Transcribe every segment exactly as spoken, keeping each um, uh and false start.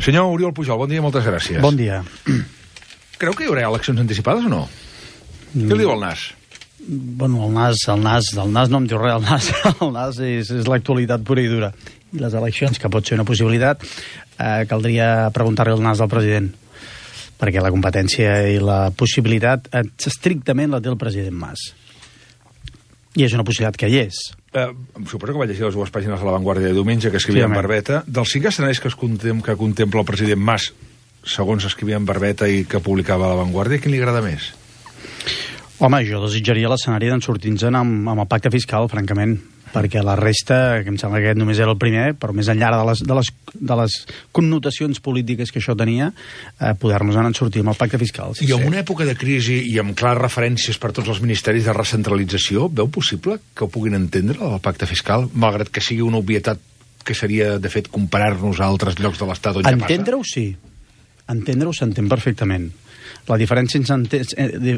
Senyor Oriol Pujol, bon dia, moltes gràcies. Bon dia. Creu que hi haurà eleccions anticipades o no? Mm. Què li diu el Nas? Bueno, el Nas, el Nas, el Nas no em diu res, el Nas, el Nas és, és l'actualitat pura i dura. I les eleccions, que pot ser una possibilitat, eh, caldria preguntar-li al Nas al president, perquè la competència i la possibilitat eh, estrictament la té el president Mas. I és una possibilitat que hi és. Eh, suposo que va llegir les dues pàgines de La Vanguardia de diumenge, que escrivia sí, en Barbeta. Dels cinc escenaris que, es contem, que contempla el president Mas, segons escrivia en Barbeta i que publicava La Vanguardia, quin li agrada més? Home, jo desitjaria l'escenari d'en sortir-nos amb, amb el pacte fiscal, francament, perquè la resta, que em sembla que aquest només era el primer, però més enllà de les, de les, de les connotacions polítiques que això tenia, eh, poder-nos en sortir amb el pacte fiscal. Sí, I en sí. una època de crisi i amb clares referències per tots els ministeris de recentralització, veu possible que ho puguin entendre, el pacte fiscal, malgrat que sigui una obvietat que seria, de fet, comparar-nos a altres llocs de l'Estat on ja passa? Entendre-ho, sí. Entendre-ho s'entén perfectament. La diferència,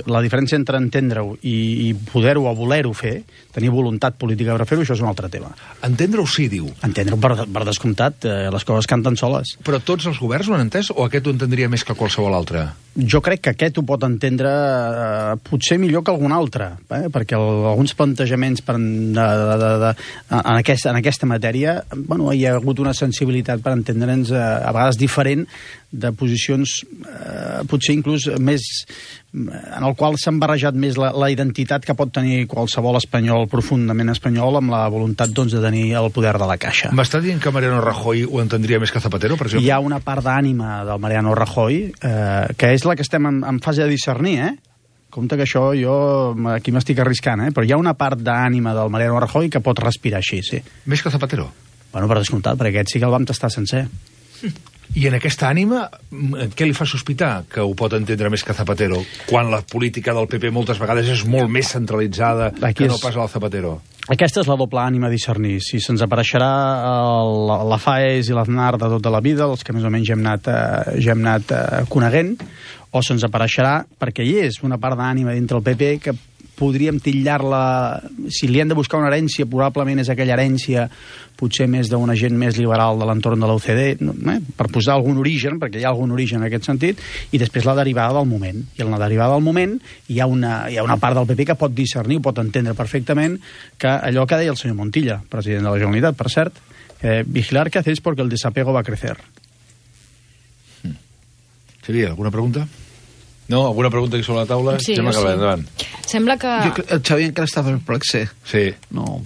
la diferència entre entendre-ho i, i poder-ho o voler-ho fer, tenir voluntat política per fer-ho, això és un altre tema. Entendre-ho sí, diu. Entendre-ho per, per descomptat, eh, les coses canten soles. Però tots els governs ho han entès o aquest ho entendria més que qualsevol altre? Jo crec que aquest ho pot entendre eh, potser millor que algun altre, eh? perquè el, alguns plantejaments per, de, de, de, de, en, aquesta, en aquesta matèria, bueno, hi ha hagut una sensibilitat per entendre'ns eh, a vegades diferent de posicions eh, potser inclús més en el qual s'han barrejat més la, la identitat que pot tenir qualsevol espanyol profundament espanyol amb la voluntat doncs, de tenir el poder de la caixa. M'està dient que Mariano Rajoy ho entendria més que Zapatero, per exemple? Hi ha una part d'ànima del Mariano Rajoy eh, que és la que estem en, en fase de discernir, eh? Compte que això jo aquí m'estic arriscant, eh? Però hi ha una part d'ànima del Mariano Rajoy que pot respirar així, sí. Més que Zapatero? Bueno, per descomptat, perquè aquest sí que el vam tastar sencer. I en aquesta ànima, què li fa sospitar que ho pot entendre més que Zapatero, quan la política del P P moltes vegades és molt més centralitzada Aquí que no és... pas al Zapatero? Aquesta és la doble ànima a discernir. Si se'ns apareixerà el, la Faes i l'Aznar de tota la vida, els que més o menys ja hem anat, eh, ja hem anat eh, coneguent, o se'ns apareixerà, perquè hi és una part d'ànima dintre el P P que podríem titllar-la, si li hem de buscar una herència, probablement és aquella herència potser més d'una gent més liberal de l'entorn de l'O C D, eh? per posar algun origen, perquè hi ha algun origen en aquest sentit, i després la derivada del moment. I en la derivada del moment hi ha una, hi ha una part del P P que pot discernir, pot entendre perfectament que allò que deia el senyor Montilla, president de la Generalitat, per cert, eh, vigilar que hacéis porque el desapego va a crecer. Mm. Seria alguna pregunta? No? Alguna pregunta aquí sobre la taula? Sí, Sembla que sí. endavant. Sembla que... Jo, el Xavi encara està perplex, sí. Sí. No...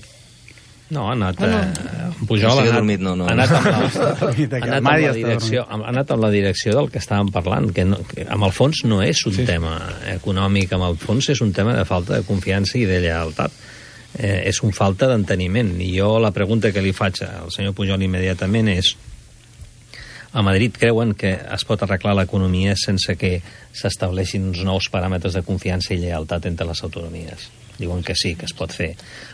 No, ha anat... Bueno, eh, Pujol ha anat, dormit, no, no. ha anat amb la, ha anat amb la direcció, ha anat amb la direcció del que estàvem parlant, que, no, que amb el fons no és un sí. tema econòmic, amb el fons és un tema de falta de confiança i de lleialtat. Eh, és un falta d'enteniment. I jo la pregunta que li faig al senyor Pujol immediatament és: a Madrid creuen que es pot arreglar l'economia sense que s'estableixin uns nous paràmetres de confiança i lleialtat entre les autonomies? Diuen que sí, que es pot fer.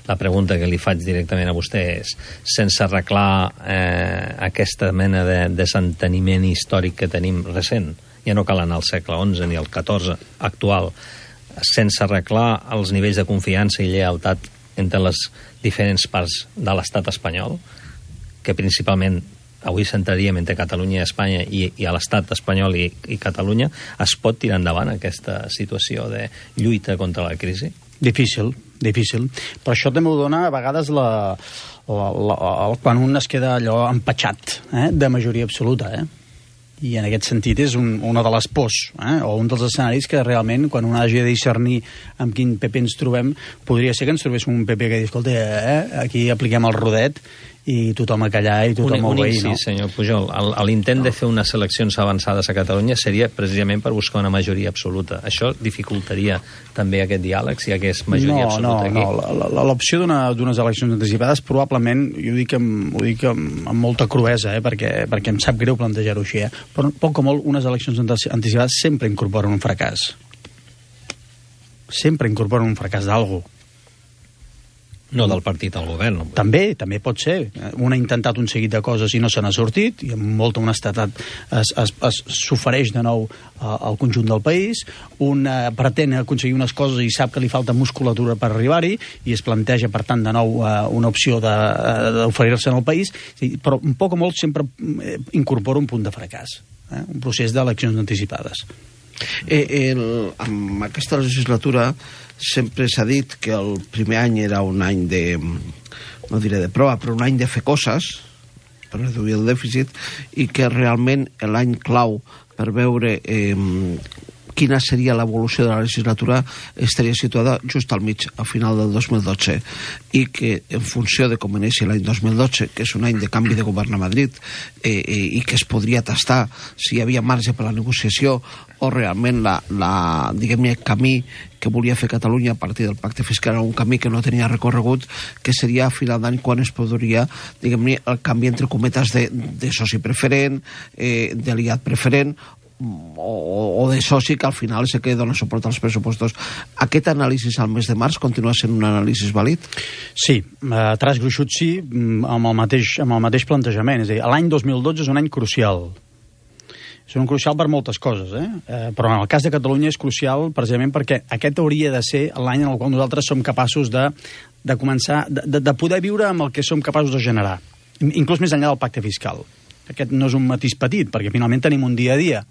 La pregunta que li faig directament a vostè és: sense arreglar eh, aquesta mena de desenteniment històric que tenim recent, ja no cal anar al segle onze ni al catorze actual, sense arreglar els nivells de confiança i lleialtat entre les diferents parts de l'estat espanyol, que principalment avui centraríem entre Catalunya i Espanya i, i a l'estat espanyol i, i Catalunya, es pot tirar endavant aquesta situació de lluita contra la crisi? Difícil, difícil. Per això també ho dona a vegades la, la, la, la, quan un es queda allò empatxat, eh, de majoria absoluta, eh? I en aquest sentit és un, una de les pors, eh? o un dels escenaris que realment, quan un hagi de discernir amb quin P P ens trobem, podria ser que ens trobéssim un P P que diu, escolta, eh, aquí apliquem el rodet i tothom a callar i tothom a obeir, no? Sí, senyor Pujol. L'intent de fer unes eleccions avançades a Catalunya seria precisament per buscar una majoria absoluta. Això dificultaria també aquest diàleg, si hi hagués majoria no, absoluta aquí? No, no. L'opció d'unes eleccions anticipades probablement, jo ho dic amb, ho dic amb, amb molta cruesa, eh, perquè, perquè em sap greu plantejar-ho així, eh, però poc o molt unes eleccions anticipades sempre incorporen un fracàs. Sempre incorporen un fracàs d'algú. No del partit al govern. No? També, també pot ser. Un ha intentat un seguit de coses i no se n'ha sortit, i amb molta honestedat es, es, es s'ofereix de nou al conjunt del país. Un eh, pretén aconseguir unes coses i sap que li falta musculatura per arribar-hi, i es planteja, per tant, de nou eh, una opció d'oferir-se en el país, però un poc o molt sempre incorpora un punt de fracàs, eh? Un procés d'eleccions anticipades. Eh, el, amb aquesta legislatura sempre s'ha dit que el primer any era un any de, no diré de prova, però un any de fer coses per reduir el dèficit, i que realment l'any clau per veure eh, quina seria l'evolució de la legislatura estaria situada just al mig, al final del dos mil dotze, i que en funció de com inici l'any dos mil dotze, que és un any de canvi de govern a Madrid, eh, eh, i que es podria tastar si hi havia marge per la negociació o realment la, la, diguem-ne, el camí que volia fer Catalunya a partir del pacte fiscal era un camí que no tenia recorregut, que seria a final d'any quan es podria, diguem-ne, el canvi entre cometes de, de soci preferent, eh, d'aliat preferent, o, o de soci que al final és el que dona suport als pressupostos. Aquest anàlisi al mes de març continua sent un anàlisi vàlid? Sí, a traç gruixut sí, amb el mateix, amb el mateix plantejament. És a dir, l'any dos mil dotze és un any crucial. És un crucial per moltes coses, eh? eh? Però en el cas de Catalunya és crucial precisament perquè aquest hauria de ser l'any en el qual nosaltres som capaços de, de començar, de, de poder viure amb el que som capaços de generar, inclús més enllà del pacte fiscal. Aquest no és un matís petit, perquè finalment tenim un dia a dia.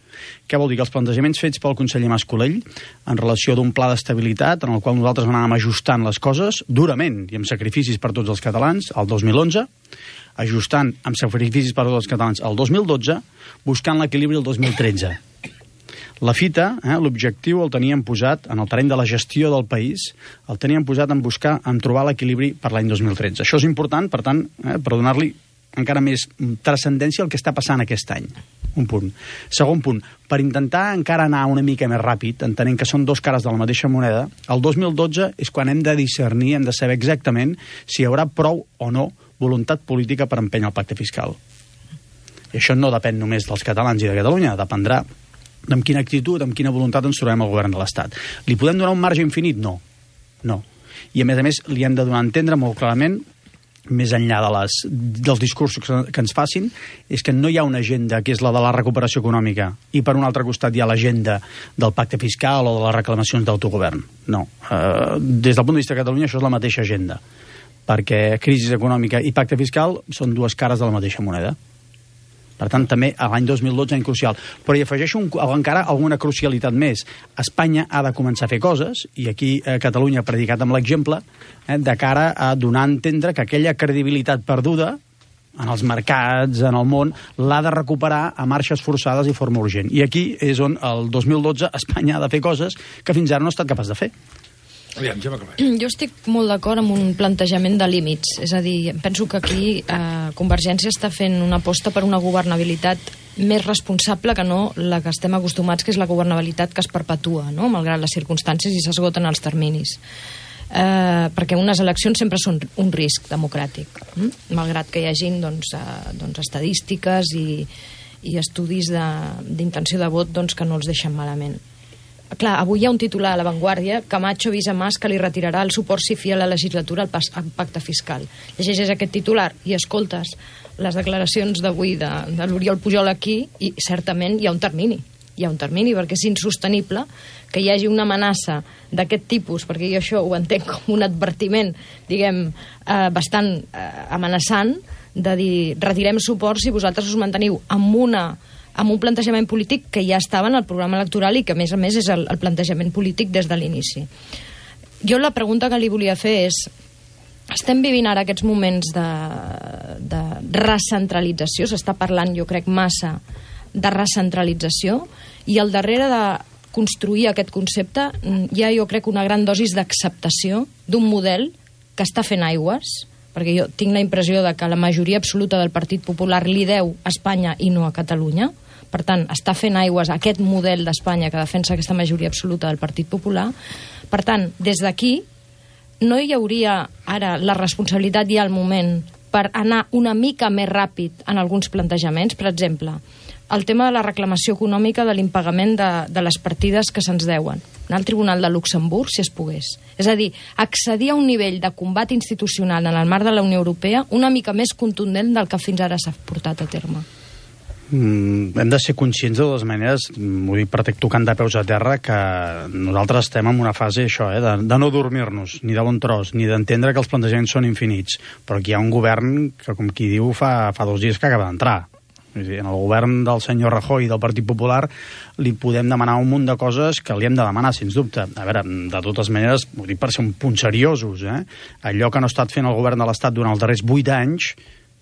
Què vol dir? Que els plantejaments fets pel conseller Mas-Colell en relació d'un pla d'estabilitat en el qual nosaltres anàvem ajustant les coses durament i amb sacrificis per tots els catalans el dos mil onze, ajustant amb sacrificis per tots els catalans el dos mil dotze, buscant l'equilibri el dos mil tretze. La fita, eh, l'objectiu el teníem posat en el terreny de la gestió del país, el teníem posat en buscar, en trobar l'equilibri per l'any dos mil tretze. Això és important, per tant, eh, per donar-li encara més transcendència al que està passant aquest any. Un punt. Segon punt, per intentar encara anar una mica més ràpid, entenent que són dos cares de la mateixa moneda, el dos mil dotze és quan hem de discernir, hem de saber exactament si hi haurà prou o no voluntat política per empènyer el pacte fiscal. I això no depèn només dels catalans i de Catalunya, dependrà amb quina actitud, amb quina voluntat ens trobem al govern de l'Estat. Li podem donar un marge infinit? No. No. I a més a més li hem de donar a entendre molt clarament, més enllà de les, dels discursos que ens facin, és que no hi ha una agenda que és la de la recuperació econòmica i per un altre costat hi ha l'agenda del pacte fiscal o de les reclamacions d'autogovern. No. Uh, des del punt de vista de Catalunya això és la mateixa agenda, perquè crisi econòmica i pacte fiscal són dues cares de la mateixa moneda. Per tant, també l'any dos mil dotze any crucial. Però hi afegeixo un, encara alguna crucialitat més. Espanya ha de començar a fer coses, i aquí eh, Catalunya ha predicat amb l'exemple, eh, de cara a donar a entendre que aquella credibilitat perduda en els mercats, en el món, l'ha de recuperar a marxes forçades i forma urgent. I aquí és on el dos mil dotze Espanya ha de fer coses que fins ara no ha estat capaç de fer. Aviam, ja jo estic molt d'acord amb un plantejament de límits. És a dir, penso que aquí eh, Convergència està fent una aposta per una governabilitat més responsable que no la que estem acostumats, que és la governabilitat que es perpetua, no? Malgrat les circumstàncies i s'esgoten els terminis. Eh, perquè unes eleccions sempre són un risc democràtic, hm? Malgrat que hi hagin doncs, eh, doncs estadístiques i, i estudis d'intenció de, de vot doncs, que no els deixen malament. Clar, avui hi ha un titular a La Vanguardia: Camacho avisa Mas que li retirarà el suport si fia la legislatura al, pas, al pacte fiscal. Llegeixes aquest titular i escoltes les declaracions d'avui de, de l'Oriol Pujol aquí i certament hi ha un termini. Hi ha un termini perquè és insostenible que hi hagi una amenaça d'aquest tipus, perquè jo això ho entenc com un advertiment, diguem, eh, bastant eh, amenaçant, de dir, retirem suport si vosaltres us manteniu amb una amb un plantejament polític que ja estava en el programa electoral i que, a més a més, és el, el plantejament polític des de l'inici. Jo la pregunta que li volia fer és: estem vivint ara aquests moments de, de recentralització, s'està parlant, jo crec, massa de recentralització, i al darrere de construir aquest concepte hi ha, jo crec, una gran dosis d'acceptació d'un model que està fent aigües, perquè jo tinc la impressió de que la majoria absoluta del Partit Popular li deu a Espanya i no a Catalunya. Per tant, està fent aigües aquest model d'Espanya que defensa aquesta majoria absoluta del Partit Popular. Per tant, des d'aquí no hi hauria ara la responsabilitat i el moment per anar una mica més ràpid en alguns plantejaments. Per exemple, el tema de la reclamació econòmica de l'impagament de, de les partides que se'ns deuen. Anar al Tribunal de Luxemburg, si es pogués. És a dir, accedir a un nivell de combat institucional en el marc de la Unió Europea una mica més contundent del que fins ara s'ha portat a terme. Mm, hem de ser conscients de totes maneres, m'ho dic per tocant de peus a terra, que nosaltres estem en una fase això, eh, de, de no dormir-nos, ni de bon tros, ni d'entendre que els plantejaments són infinits, però aquí hi ha un govern que, com qui diu, fa, fa dos dies que acaba d'entrar. En el govern del senyor Rajoy i del Partit Popular li podem demanar un munt de coses que li hem de demanar, sens dubte. A veure, de totes maneres, ho dic per ser un punt seriosos, eh? Allò que no ha estat fent el govern de l'Estat durant els darrers vuit anys,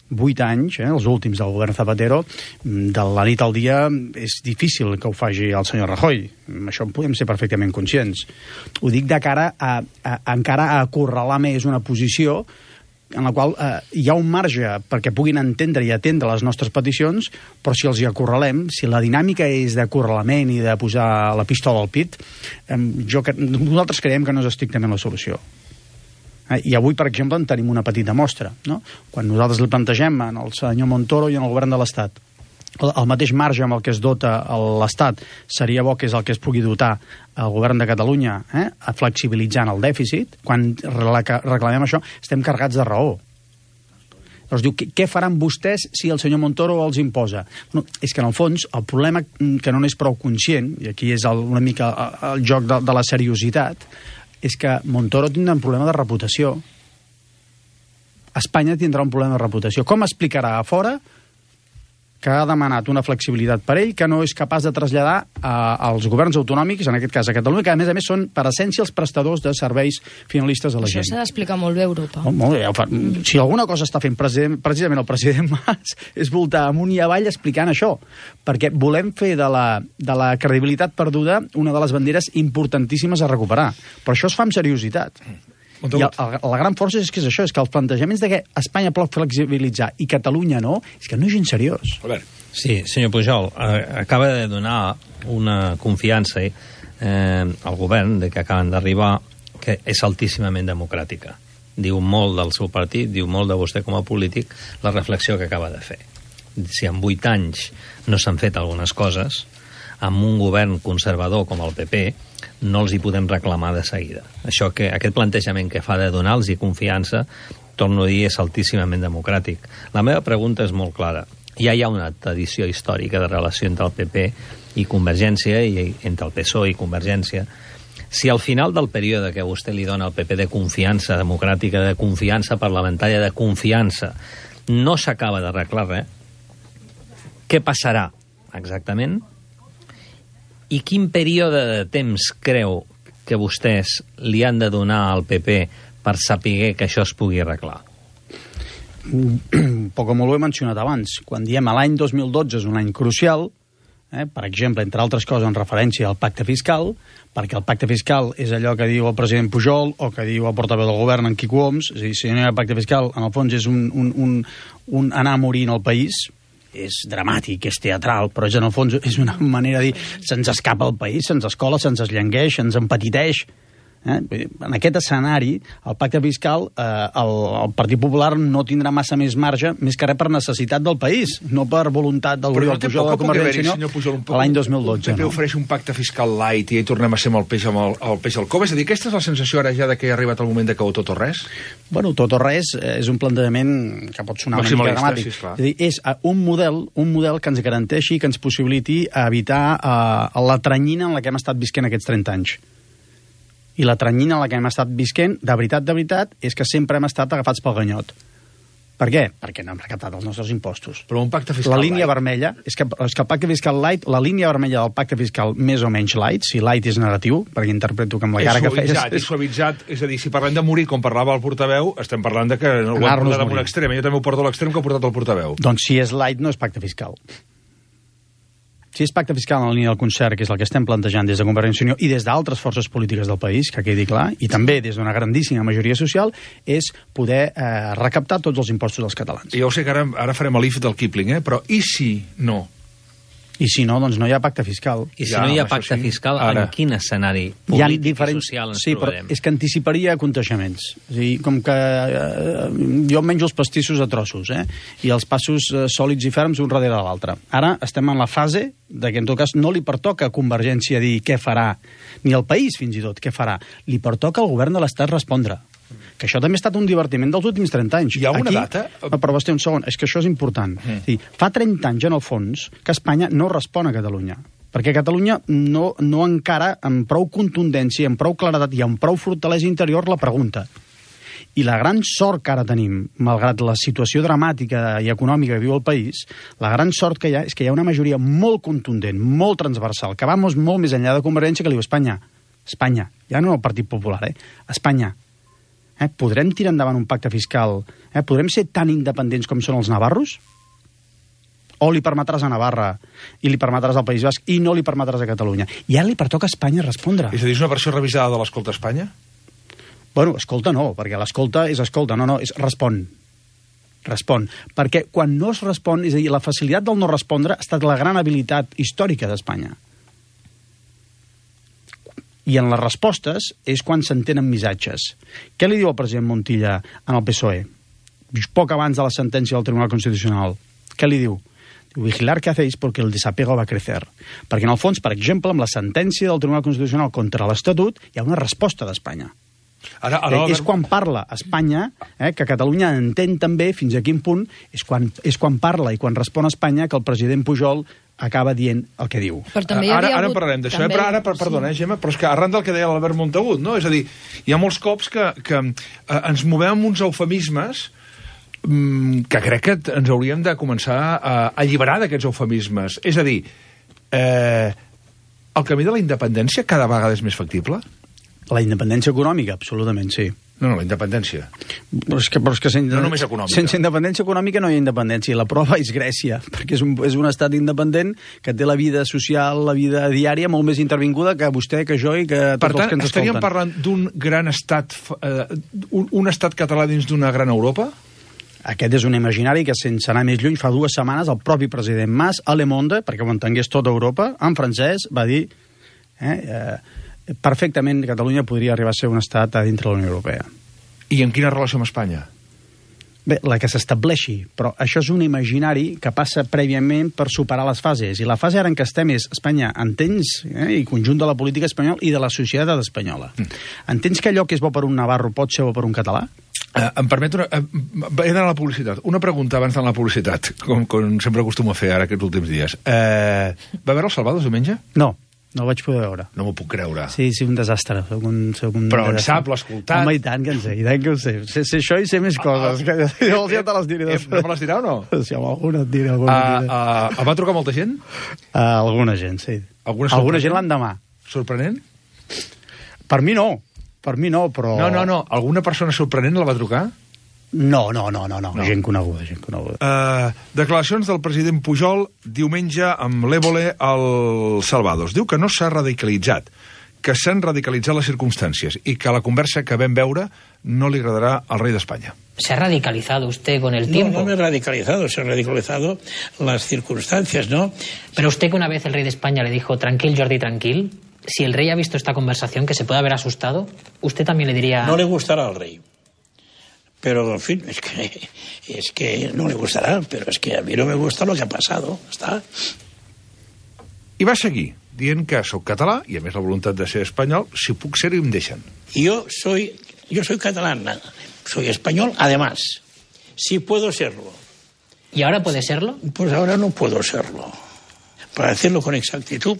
vuit anys, eh, els últims del govern Zapatero, de la nit al dia és difícil que ho faci el senyor Rajoy. Això en podem ser perfectament conscients. Ho dic de cara a, a, a encara a acorralar més una posició en la qual eh, hi ha un marge perquè puguin entendre i atendre les nostres peticions, però si els hi acorralem, si la dinàmica és d'acorralament i de posar la pistola al pit, eh, jo, nosaltres creiem que no és estrictament la solució. Eh, I avui, per exemple, en tenim una petita mostra, no? Quan nosaltres li plantegem al senyor Montoro i en el govern de l'Estat el, el mateix marge amb el que es dota l'Estat seria bo que és el que es pugui dotar el govern de Catalunya, eh, flexibilitzant el dèficit, quan reclamem això estem carregats de raó. Llavors diu, què faran vostès si el senyor Montoro els imposa? Bueno, és que en el fons el problema que no n'és prou conscient, i aquí és el, una mica el joc de, de la seriositat, és que Montoro tindrà un problema de reputació. Espanya tindrà un problema de reputació. Com explicarà a fora que ha demanat una flexibilitat per ell que no és capaç de traslladar a, als governs autonòmics, en aquest cas a Catalunya, que a més a més són per essència els prestadors de serveis finalistes a la Això gent. s'ha d'explicar molt bé a Europa. Oh, molt bé, ja ho fa. Mm. Si alguna cosa està fent president, precisament el president Mas és voltar amunt i avall explicant això, perquè volem fer de la, de la credibilitat perduda una de les banderes importantíssimes a recuperar. Però això es fa amb seriositat. I el, el, la gran força és que és això, és que els plantejaments de que Espanya pot flexibilitzar i Catalunya no, és que no és gens seriós. A veure. Sí, senyor Pujol, eh, acaba de donar una confiança eh, al govern de que acaben d'arribar que és altíssimament democràtica. Diu molt del seu partit, diu molt de vostè com a polític, la reflexió que acaba de fer. Si en vuit anys no s'han fet algunes coses, amb un govern conservador com el P P, no els hi podem reclamar de seguida. Això que, aquest plantejament que fa de donar-los confiança, torno a dir, és altíssimament democràtic. La meva pregunta és molt clara. Ja hi ha una tradició històrica de relació entre el P P i Convergència, i entre el P S O E i Convergència. Si al final del període que vostè li dona al P P de confiança democràtica, de confiança parlamentària, de confiança, no s'acaba d'arreglar res, què passarà exactament? I quin període de temps creu que vostès li han de donar al P P per saber que això es pugui arreglar? Poc o molt ho he mencionat abans. Quan diem l'any dos mil dotze és un any crucial, eh, per exemple, entre altres coses en referència al pacte fiscal, perquè el pacte fiscal és allò que diu el president Pujol o que diu el portaveu del govern, en Quico Homs. És a dir, si no hi ha pacte fiscal, en el fons és un, un, un, un anar a morir en el país. És dramàtic, és teatral, però és, en el fons és una manera de dir se'ns escapa el país, se'ns escola, se'ns esllengueix, se'ns empetiteix. Eh? En aquest escenari, el pacte fiscal, eh, el, el Partit Popular no tindrà massa més marge, més que res per necessitat del país, no per voluntat del Oriol Pujol de Convergència i Unió l'any dos mil dotze. El P P ofereix un pacte fiscal light i hi tornem a ser amb el peix, amb el, el peix al cove. És a dir, aquesta és la sensació ara ja de que ha arribat el moment de que o tot o res? Bueno, tot o res és un plantejament que pot sonar una mica dramàtic. Sí, és, dir, és un model, un model que ens garanteixi, que ens possibiliti evitar uh, la tranyina en la que hem estat visquent aquests trenta anys. I la tranyina en la que hem estat visquent, de veritat, de veritat, és que sempre hem estat agafats pel ganyot. Per què? Perquè no hem recaptat els nostres impostos. Però un pacte fiscal La línia light. vermella, és que, és que el pacte fiscal light, la línia vermella del pacte fiscal més o menys light, si light és negatiu, perquè interpreto que amb la cara que feies... És suavitzat, és a dir, si parlem de morir, com parlava el portaveu, estem parlant de que ho hem portat a un extrem. Jo també ho porto a l'extrem que ha portat el portaveu. Doncs si és light no és pacte fiscal. Si és pacte fiscal en la línia del concert, que és el que estem plantejant des de Convergència i Unió i des d'altres forces polítiques del país, que quedi clar, i també des d'una grandíssima majoria social, és poder eh, recaptar tots els impostos dels catalans. I jo sé que ara, ara farem l'if del Kipling, eh? Però i si no? I si no, doncs no hi ha pacte fiscal. I si ja, no hi ha pacte sí. fiscal, Ara. en quin escenari polític diferents... i social ens sí, trobarem? Però és que anticiparia contagiaments. És a dir, com que eh, jo menjo els pastissos a trossos, eh? I els passos eh, sòlids i ferms un darrere l'altre. Ara estem en la fase de que, en tot cas, no li pertoca a Convergència dir què farà, ni al país, fins i tot, què farà. Li pertoca al govern de l'Estat respondre. Que això també ha estat un divertiment dels últims trenta anys. Hi ha una Aquí, data? No, però vostè, un segon, és que això és important. Mm. Dir, fa trenta anys, en el fons, que Espanya no respon a Catalunya. Perquè Catalunya no, no encara amb prou contundència, amb prou claredat i amb prou fortalesa interior la pregunta. I la gran sort que ara tenim, malgrat la situació dramàtica i econòmica que viu el país, la gran sort que hi ha és que hi ha una majoria molt contundent, molt transversal, que va molt més enllà de Convergència, que diu Espanya, Espanya, ja no el Partit Popular, eh? Espanya, Eh, podrem tirar endavant un pacte fiscal? Eh, podrem ser tan independents com són els navarros? O li permetràs a Navarra i li permetràs al País Basc i no li permetràs a Catalunya? I ara li pertoca a Espanya respondre. És a dir, és una versió revisada de l'Escolta Espanya? Bueno, escolta no, perquè l'escolta és escolta, no, no, és respon. Respon. Perquè quan no es respon, és a dir, la facilitat del no respondre ha estat la gran habilitat històrica d'Espanya. I en les respostes és quan s'entenen missatges. Què li diu el president Montilla en el P S O E? Poc abans de la sentència del Tribunal Constitucional. Què li diu? Diu, vigilar què hacéis porque el desapego va a crecer. Perquè en el fons, per exemple, amb la sentència del Tribunal Constitucional contra l'Estatut hi ha una resposta d'Espanya. Ara, ara, eh, és quan parla Espanya, eh, que Catalunya entén també fins a quin punt, és quan, és quan parla i quan respon Espanya que el president Pujol acaba dient el que diu. Però també hi ara, havia ara hagut... parlarem d'això, també... eh? però ara, per, perdona, eh, Gemma, però és que arran del que deia l'Albert Montagut, no? És a dir, hi ha molts cops que, que eh, ens movem amb uns eufemismes mm, que crec que ens hauríem de començar a alliberar d'aquests eufemismes. És a dir, eh, el camí de la independència cada vegada és més factible? La independència econòmica, absolutament, sí. No, no, la independència. Però és que, però és que sense, no només econòmica. Sense independència econòmica no hi ha independència. I la prova és Grècia, perquè és un, és un estat independent que té la vida social, la vida diària molt més intervinguda que vostè, que jo i que tots per tant, els que ens escolten. estaríem parlant d'un gran estat, eh, un, un estat català dins d'una gran Europa? Aquest és un imaginari que, sense anar més lluny, fa dues setmanes el propi president Mas, a Le Monde, perquè ho entengués tota Europa, en francès, va dir... Eh, eh, perfectament Catalunya podria arribar a ser un estat a dintre de la Unió Europea. I en quina relació amb Espanya? Bé, la que s'estableixi, però això és un imaginari que passa prèviament per superar les fases, i la fase ara en què estem és Espanya, entens, eh, i conjunt de la política espanyola i de la societat espanyola. Mm. Entens que allò que és bo per un navarro pot ser bo per un català? Uh, em permet una... Uh, he d'anar a la publicitat. Una pregunta abans d'anar a la publicitat, com, com sempre acostumo a fer ara aquests últims dies. Uh, va veure el Salvados diumenge? No. No ho vaig poder veure. No m'ho puc creure. Sí, sí, un desastre. Soc un, soc un Però desastre. en sap, l'ha escoltat. Home, i tant que en sé, i tant que ho sé. Sé, sé això i sé més coses. Ah, ah, que jo ja te les diré. Eh, no me les dirà o no? Sí, home, alguna et diré. Alguna uh, uh, uh, va trucar molta gent? Uh, alguna gent, sí. Alguna, alguna gent l'endemà. Sorprenent? Per mi no. Per mi no, però... No, no, no. Alguna persona sorprenent la va trucar? No, no, no, no, no. no. Gent coneguda, gent coneguda. Uh, declaracions del president Pujol diumenge amb l'Évole al Salvados. Diu que no s'ha radicalitzat, que s'han radicalitzat les circumstàncies i que la conversa que vam veure no li agradarà al rei d'Espanya. ¿Se ha radicalizado usted con el tiempo? No, no me he radicalizado, se han radicalizado las circunstancias, ¿no? Pero usted, que una vez el rey de España le dijo, tranquil, Jordi, tranquil, si el rey ha visto esta conversación, que se puede haber asustado, usted también le diría... No le gustará al rey. Pero, en fin, es que, es que no le gustará, pero es que a mí no me gusta lo que ha pasado, està. I va seguir dient que soc català, i a més la voluntat de ser espanyol, si puc ser-ho em deixen. Yo soy, yo soy catalán, soy español, además, si puedo serlo. ¿Y ahora puede serlo? Pues ahora no puedo serlo. Para decirlo con exactitud,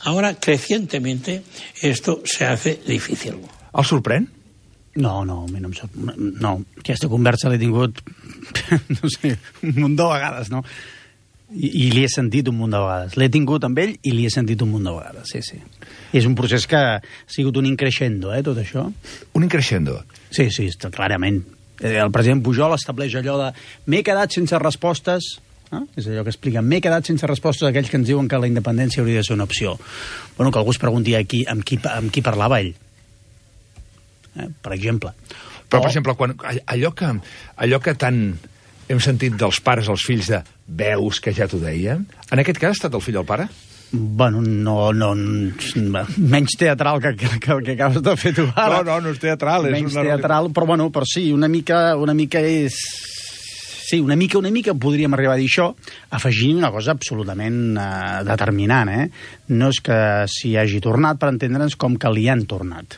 ahora, crecientemente, esto se hace difícil. El sorprèn? No, no, a mi no em sap... No, aquesta conversa l'he tingut, no sé, un munt de vegades, no? I, i li he sentit un munt de vegades. L'he tingut amb ell i li he sentit un munt de vegades, sí, sí. I és un procés que ha sigut un increixendo, eh, tot això. Un increixendo? Sí, sí, està, clarament. El president Pujol estableix allò de m'he quedat sense respostes, eh? És allò que expliquen, m'he quedat sense respostes a aquells que ens diuen que la independència hauria de ser una opció. Bueno, que algú es pregunti aquí amb qui, amb qui parlava ell. Eh, per exemple. Però, o... per exemple, quan, allò, que, allò que tant hem sentit dels pares als fills de veus que ja t'ho deia. En aquest cas ha estat el fill del pare? Bueno, no, no, menys teatral que, que, que el que acabes de fer tu ara. No, no, no és teatral. És menys una teatral, però bueno, però sí, una mica, una mica és... Sí, una mica, una mica podríem arribar a dir això, afegint una cosa absolutament eh, determinant, eh? No és que s'hi hagi tornat, per entendre'ns, com que li han tornat.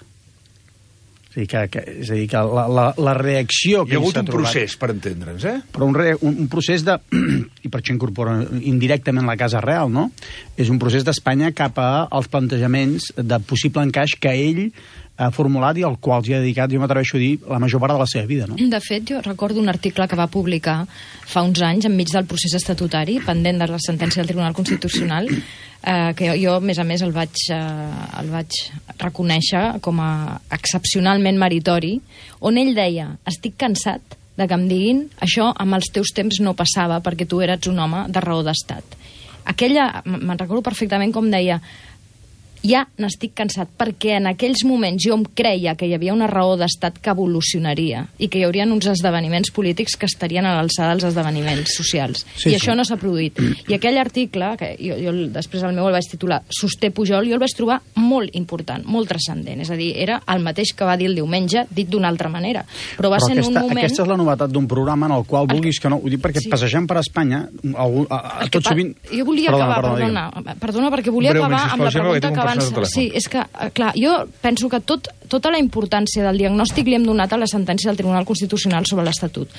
És a dir, que, que, és a dir, que la, la, la reacció que hi ha hagut un trobat, procés, per entendre'ns, eh? Però un, re, un, un procés de... I per això incorpora indirectament la Casa Real, no? És un procés d'Espanya cap als plantejaments de possible encaix que ell ha formulat i al qual s'hi ha dedicat, jo m'atreveixo a dir, la major part de la seva vida, no? De fet, jo recordo un article que va publicar fa uns anys, enmig del procés estatutari, pendent de la sentència del Tribunal Constitucional, eh, que jo, jo, a més a més, el vaig, eh, el vaig reconèixer com a excepcionalment meritori, on ell deia, estic cansat de que em diguin això amb els teus temps no passava perquè tu eres un home de raó d'estat. Aquella, me'n recordo perfectament com deia, ja n'estic cansat, perquè en aquells moments jo em creia que hi havia una raó d'estat que evolucionaria i que hi haurien uns esdeveniments polítics que estarien a l'alçada dels esdeveniments socials. Sí, I sí. Això no s'ha produït. I aquell article, que jo, jo després el meu el vaig titular Sosté Pujol, jo el vaig trobar molt important, molt transcendent. És a dir, era el mateix que va dir el diumenge, dit d'una altra manera. Però va Però ser aquesta, en un moment... Aquesta és la novetat d'un programa en el qual vulguis que no... Ho dic perquè sí. Passejant per Espanya, algú, a, a, tot sovint... Jo volia perdona, acabar, perdona, perdona, perdona, perquè volia Breument, acabar amb la pregunta que abans... Sí, és que, clar, jo penso que tot, tota la importància del diagnòstic li hem donat a la sentència del Tribunal Constitucional sobre l'Estatut.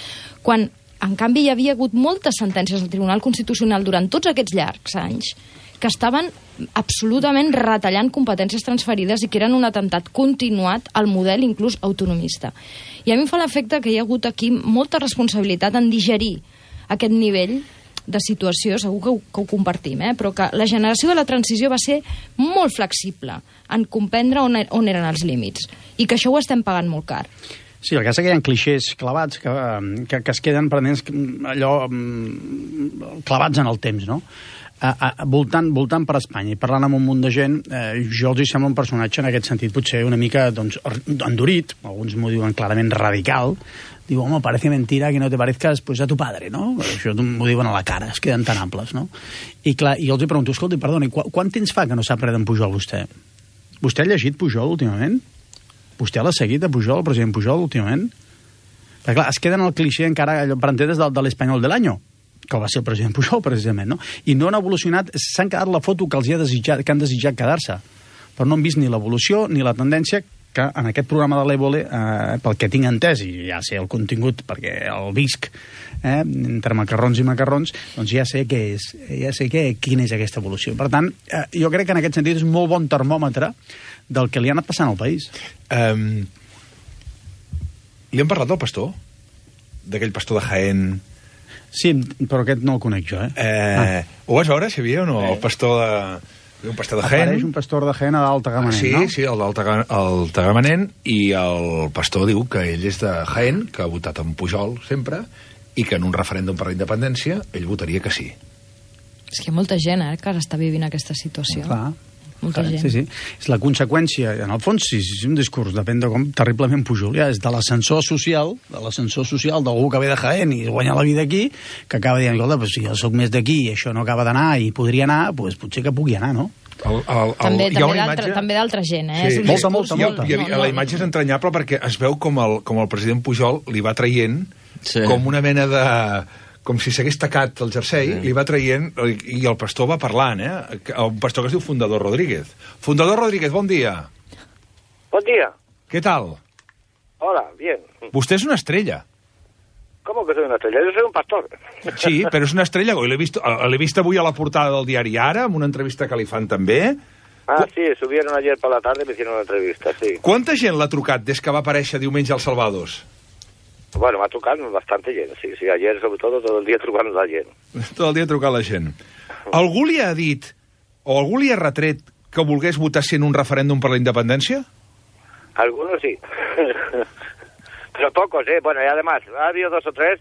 Quan, en canvi, hi havia hagut moltes sentències del Tribunal Constitucional durant tots aquests llargs anys que estaven absolutament retallant competències transferides i que eren un atemptat continuat al model inclús autonomista. I a mi em fa l'efecte que hi ha hagut aquí molta responsabilitat en digerir aquest nivell de situació, segur que ho, que ho compartim, eh? Però que la generació de la transició va ser molt flexible en comprendre on, on eren els límits i que això ho estem pagant molt car. Sí, el cas és que hi ha clixés clavats que, que, que es queden prenents allò clavats en el temps, no? A, a, voltant, voltant per Espanya i parlant amb un munt de gent, eh, jo els hi sembla un personatge en aquest sentit potser una mica doncs, endurit, alguns m'ho diuen clarament radical. Diu, home, parece mentira que no te parezcas pues, a tu padre, no? Això m'ho diuen a la cara, es queden tan amples, no? I clar, i jo els hi pregunto, escolta, perdoni, qu quant temps fa que no sap res d'en Pujol, vostè? Vostè ha llegit Pujol últimament? Vostè l'ha seguit a Pujol, el president Pujol, últimament? Perquè clar, es queden al clixé encara, allò, per entendre's, del, de l'Espanyol de l'Anyo, que va ser el president Pujol, precisament, no? I no han evolucionat, s'han quedat la foto que els hi ha desitjat, que han desitjat quedar-se. Però no han vist ni l'evolució ni la tendència que en aquest programa de l'Évole, eh, pel que tinc entès, i ja sé el contingut, perquè el visc, eh, entre macarrons i macarrons, doncs ja sé què és, ja sé què, quina és aquesta evolució. Per tant, eh, jo crec que en aquest sentit és un molt bon termòmetre del que li ha anat passant al país. Um, li hem parlat del pastor? D'aquell pastor de Jaén? Sí, però aquest no el conec jo, eh? eh ah. Ho vas veure, Xavier, o no? Eh. El pastor de... Un pastor de Jaén. Apareix un pastor de Jaén a d'Alta Gamanent, sí, no? Sí, sí, el d'Alta Gamanent, i el pastor diu que ell és de Jaén, que ha votat en Pujol sempre, i que en un referèndum per la independència ell votaria que sí. És que hi ha molta gent, eh, que ara està vivint aquesta situació. Clar. Molta Clar, gent. Sí, sí. És la conseqüència, en el fons, sí, és un discurs, depèn de com terriblement Pujol, ja, és de l'ascensor social, de l'ascensor social d'algú que ve de Jaén i guanya la vida aquí, que acaba dient, escolta, pues, si jo soc més d'aquí i això no acaba d'anar i podria anar, pues, potser que pugui anar, no? El, el, el, també també imatge... d'altra gent, eh? Sí, molta, molta, molta. I, i, i la imatge és entranyable perquè es veu com el, com el president Pujol li va traient sí. com una mena de... com si s'hagués tacat el jersei, sí. li va traient, i el pastor va parlant, eh? Un pastor que es diu Fundador Rodríguez. Fundador Rodríguez, bon dia. Bon dia. Què tal? Hola, bien. Vostè és una estrella. ¿Cómo que soy una estrella? Yo soy un pastor. Sí, però és una estrella. L'he vist, vist avui a la portada del diari Ara, amb una entrevista que li fan també. Ah, sí, subieron ayer por la tarde y me hicieron una entrevista, sí. Quanta gent l'ha trucat des que va aparèixer diumenge als Salvados? Bueno, m'ha trucat bastante gent, sí, sí. Ayer, sobre todo, todo el dia trucant la gent. Tot el dia trucant la gent. Algú li ha dit, o algú li ha retret que volgués votar sí en un referèndum per la independència? Algunos sí. Pero pocos, ¿eh? Bueno, y además, ha habido dos o tres,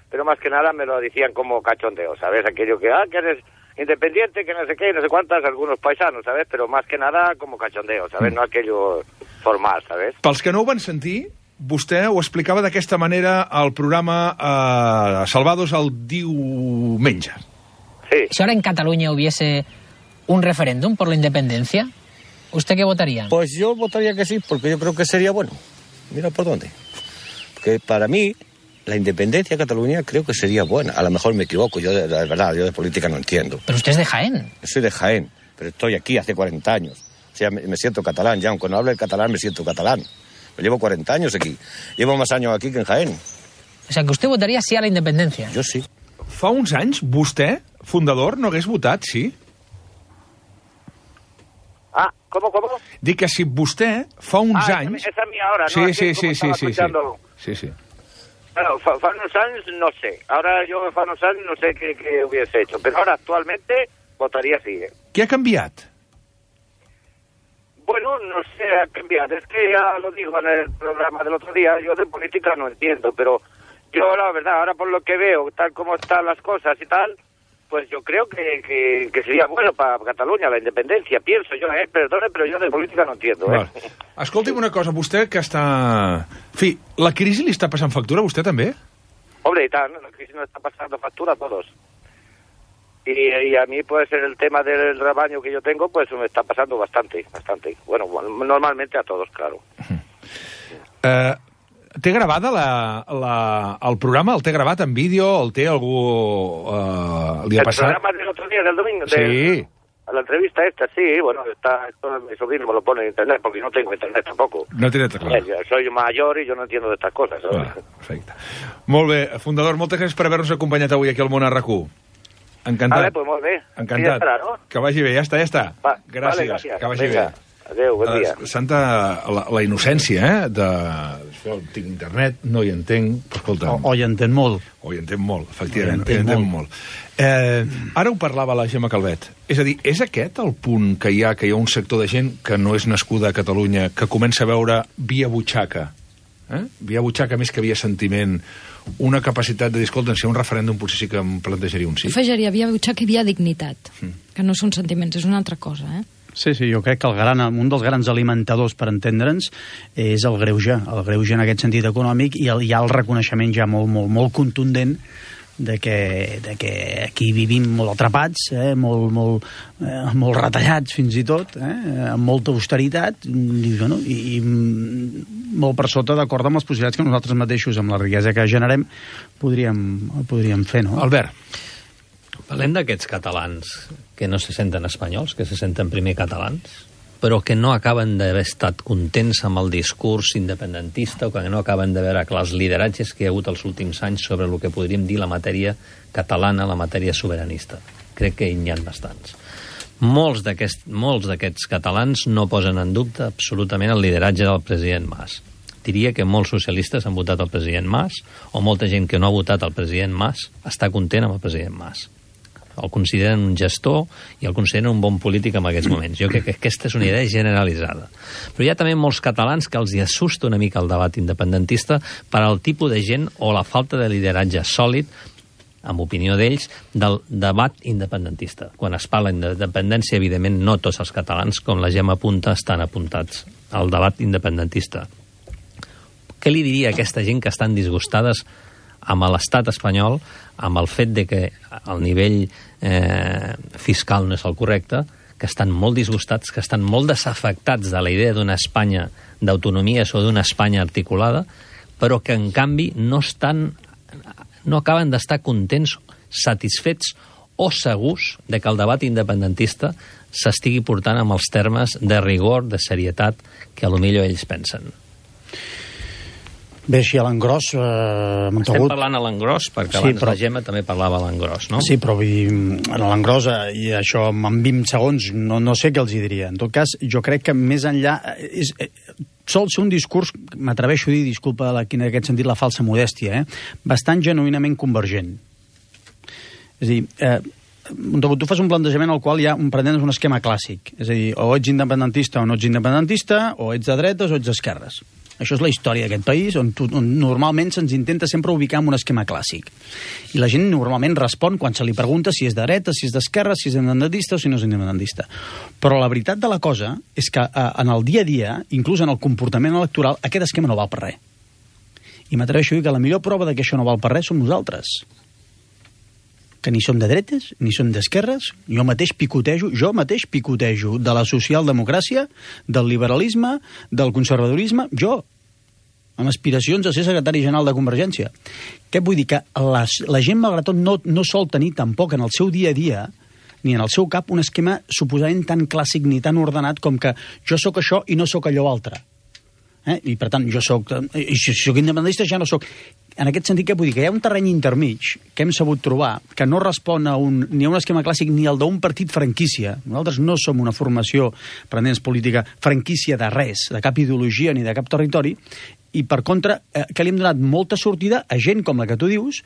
pero más que nada me lo decían como cachondeo, ¿sabes? Aquello que, ah, que eres independiente, que no sé qué, no sé cuántas, algunos paisanos, ¿sabes? Pero más que nada como cachondeo, ¿sabes? Mm. No aquello formal, ¿sabes? Pels que no ho van sentir, vostè ho explicava d'aquesta manera al programa eh, Salvados el diumenge. Sí. Si ahora en Cataluña hubiese un referéndum por la independencia, ¿usted qué votaría? Pues yo votaría que sí, porque yo creo que sería bueno. Mira por dónde. Porque para mí, la independencia de Cataluña creo que sería buena. A lo mejor me equivoco, yo de, de verdad, yo de política no entiendo. Pero usted es de Jaén. Yo soy de Jaén, pero estoy aquí hace cuarenta años. O sea, me, me siento catalán ya, aunque no hable el catalán, me siento catalán. Me llevo cuarenta años aquí. Llevo más años aquí que en Jaén. O sea, que usted votaría sí a la independencia. Jo sí. Fa uns anys, vostè, fundador, no hagués votat, sí? Ah, ¿cómo, cómo? Dic que si vostè, fa uns ah, anys... esa es mía ahora, ¿no? Sí, Así sí, como sí, sí, estaba sí, sí. escuchando. Sí, sí. Bueno, fa, fa unos años no sé. Ahora yo fa unos años no sé qué, qué hubiese hecho. Pero ahora actualmente votaría sí. ¿eh? Què ha canviat? Bueno, no sé, ha cambiado. Es que ya lo digo en el programa del otro día, yo de política no entiendo, pero yo la verdad, ahora por lo que veo, tal como están las cosas y tal, pues yo creo que, que, que sería bueno para Cataluña la independencia, pienso yo, eh, perdone, pero yo de política no entiendo. Eh. Vale. Escolti'm una cosa, vostè que està... En fi, la crisi li està passant factura a vostè també? Hombre, y tal, ¿no? La crisis nos está pasando factura a todos. Y, y a mí, pues, en el tema del rebaño que yo tengo, pues me está pasando bastante, bastante. Bueno, normalmente a todos, claro. Eh, té gravada la, la, el programa? El té gravat en vídeo? El té algú... Eh, li ha el passat? programa del otro día, del domingo. Sí. Del, la entrevista esta, sí, bueno, está, esto mi sobrino me lo pone en internet, porque no tengo internet tampoco. No té net, clar. Eh, soy mayor y yo no entiendo de estas cosas, ¿sabes? Ah, perfecte. Molt bé, fundador, moltes gràcies per haver-nos acompanyat avui aquí al Món a RAC u. Encantat. Vale, pues molt bé. Encantat. Ja estarà, no? Que vagi bé, ja està, ja està. Va, gràcies, vale, gràcies. que vagi Vinga. bé. Adéu, bon dia. Uh, Santa, la, la innocència, eh, de... Això, tinc internet, no hi entenc, però escolta... O, o hi entén molt. O hi entenc molt, efectivament, O hi entén hi entenc molt. molt. Eh, ara ho parlava la Gemma Calvet. És a dir, és aquest el punt que hi ha, que hi ha un sector de gent que no és nascuda a Catalunya, que comença a veure via butxaca, eh? via butxaca més que via sentiment, una capacitat de dir, escolta, si hi ha un referèndum potser sí que em plantejaria un sí. Afegiria via butxaca i via dignitat, Mm. que no són sentiments, és una altra cosa, eh? Sí, sí, jo crec que el gran, un dels grans alimentadors, per entendre'ns, és el greuge, el greuge en aquest sentit econòmic, i el, hi ha el reconeixement ja molt, molt, molt contundent de que, de que aquí vivim molt atrapats, eh, molt, molt, eh, molt retallats fins i tot, eh, amb molta austeritat, i, bueno, i, i molt per sota d'acord amb les possibilitats que nosaltres mateixos, amb la riquesa que generem, podríem, podríem fer, no? Albert. Parlem d'aquests catalans que no se senten espanyols, que se senten primer catalans, però que no acaben d'haver estat contents amb el discurs independentista o que no acaben de veure que els lideratges que hi ha hagut els últims anys sobre el que podríem dir la matèria catalana, la matèria sobiranista. Crec que n'hi ha bastants. Molts d'aquests molts d'aquests catalans no posen en dubte absolutament el lideratge del president Mas. Diria que molts socialistes han votat el president Mas, o molta gent que no ha votat el president Mas està content amb el president Mas. El consideren un gestor i el consideren un bon polític en aquests moments. Jo crec que aquesta és una idea generalitzada. Però hi ha també molts catalans que els hi assusta una mica el debat independentista per al tipus de gent o la falta de lideratge sòlid, amb opinió d'ells, del debat independentista. Quan es parla d'independència, evidentment, no tots els catalans, com la Gemma apunta, estan apuntats al debat independentista. Què li diria a aquesta gent que estan disgustades amb l'estat espanyol, amb el fet de que el nivell eh, fiscal no és el correcte, que estan molt disgustats, que estan molt desafectats de la idea d'una Espanya d'autonomies o d'una Espanya articulada, però que, en canvi, no estan, no acaben d'estar contents, satisfets o segurs de que el debat independentista s'estigui portant amb els termes de rigor, de serietat, que a lo millor ells pensen. Bé, així a l'engròs... Eh, Estem Montagut... parlant a l'engròs, perquè abans sí, però... la Gemma també parlava a l'engròs, no? Sí, però vull dir, a l'engròs, i això en vint segons, no, no sé què els hi diria. En tot cas, jo crec que més enllà... És, eh, sol ser un discurs, m'atreveixo a dir, disculpa la, en aquest sentit la falsa modèstia, eh, bastant genuïnament convergent. És a dir... Eh, tu fas un plantejament al qual hi ha un, pretendes un esquema clàssic. És a dir, o ets independentista o no ets independentista, o ets de dretes o ets d'esquerres. Això és la història d'aquest país, on, tu, on normalment se'ns intenta sempre ubicar en un esquema clàssic. I la gent normalment respon quan se li pregunta si és de dreta, si és d'esquerra, si és independentista o si no és independentista. Però la veritat de la cosa és que eh, en el dia a dia, inclús en el comportament electoral, aquest esquema no val per res. I m'atreveixo a dir que la millor prova de que això no val per res som nosaltres. Que ni som de dretes, ni som d'esquerres, jo mateix picotejo, jo mateix picotejo de la socialdemocràcia, del liberalisme, del conservadorisme, jo, amb aspiracions a ser secretari general de Convergència. Què vull dir? Que la, la gent, malgrat tot, no, no sol tenir tampoc en el seu dia a dia, ni en el seu cap, un esquema suposadament tan clàssic ni tan ordenat com que jo sóc això i no sóc allò altre. Eh? I per tant, jo sóc... I si sóc independentista ja no sóc... En aquest sentit, què vull dir? Que hi ha un terreny intermig que hem sabut trobar, que no respon a un, ni a un esquema clàssic ni al d'un partit franquícia. Nosaltres no som una formació, per entendre'ns política, franquícia de res, de cap ideologia ni de cap territori, i per contra, eh, que li hem donat molta sortida a gent com la que tu dius,